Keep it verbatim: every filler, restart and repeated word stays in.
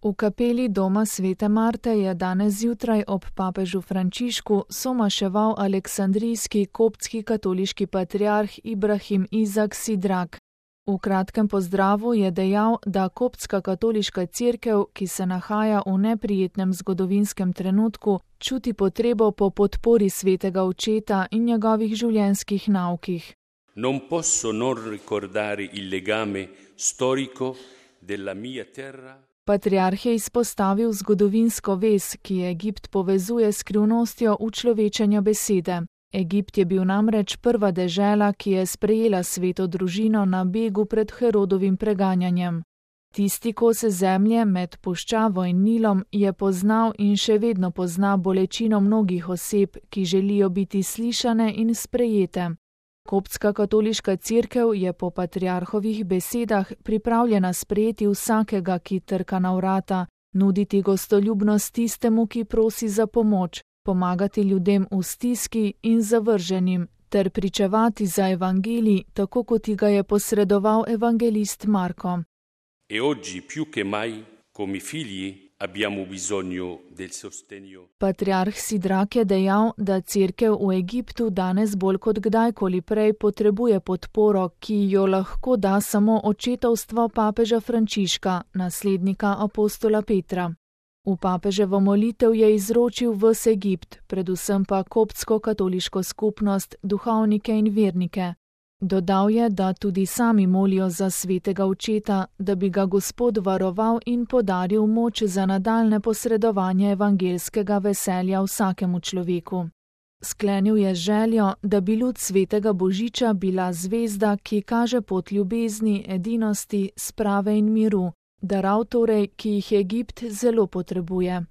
V kapeli doma svete Marte je danes zjutraj ob papežu Frančišku somaševal aleksandrijski koptski katoliški patriarh Ibrahim Izak Sidrak. V kratkem pozdravu je dejal, da koptska katoliška cerkev, ki se nahaja v neprijetnem zgodovinskem trenutku, čuti potrebo po podpori svetega očeta in njegovih življenjskih naukih. Non posso non ricordare il legame storico della mia terra. Patriarh je izpostavil zgodovinsko vez, ki Egipt povezuje s skrivnostjo učlovečenja besede. Egipt je bil namreč prva dežela, ki je sprejela sveto družino na begu pred Herodovim preganjanjem. Tisti kose zemlje med puščavo in Nilom je poznal in še vedno pozna bolečino mnogih oseb, ki želijo biti slišane in sprejete. Koptska katoliška cerkev je po patriarhovih besedah pripravljena sprejeti vsakega, ki trka na vrata, nuditi gostoljubnost tistemu, ki prosi za pomoč, pomagati ljudem v stiski in zavrženim, ter pričevati za evangelij, tako kot ga je posredoval evangelist Marko. E oggi più che mai, come figli, abbiamo bisogno del sostegno. Patriarh Sidrak je dejal, da cerkev v Egiptu danes bolj kot kdajkoli prej potrebuje podporo, ki jo lahko da samo očetovstvo papeža Frančiška, naslednika apostola Petra. V papeževo molitev je izročil ves Egipt, predvsem pa koptsko katoliško skupnost, duhovnike in vernike. Dodal je, da tudi sami molijo za svetega očeta, da bi ga Gospod varoval in podaril moč za nadaljne posredovanje evangelskega veselja vsakemu človeku. Sklenil je željo, da bi ljud svetega Božiča bila zvezda, ki kaže pot ljubezni, edinosti, sprave in miru, darov torej, ki jih Egipt zelo potrebuje.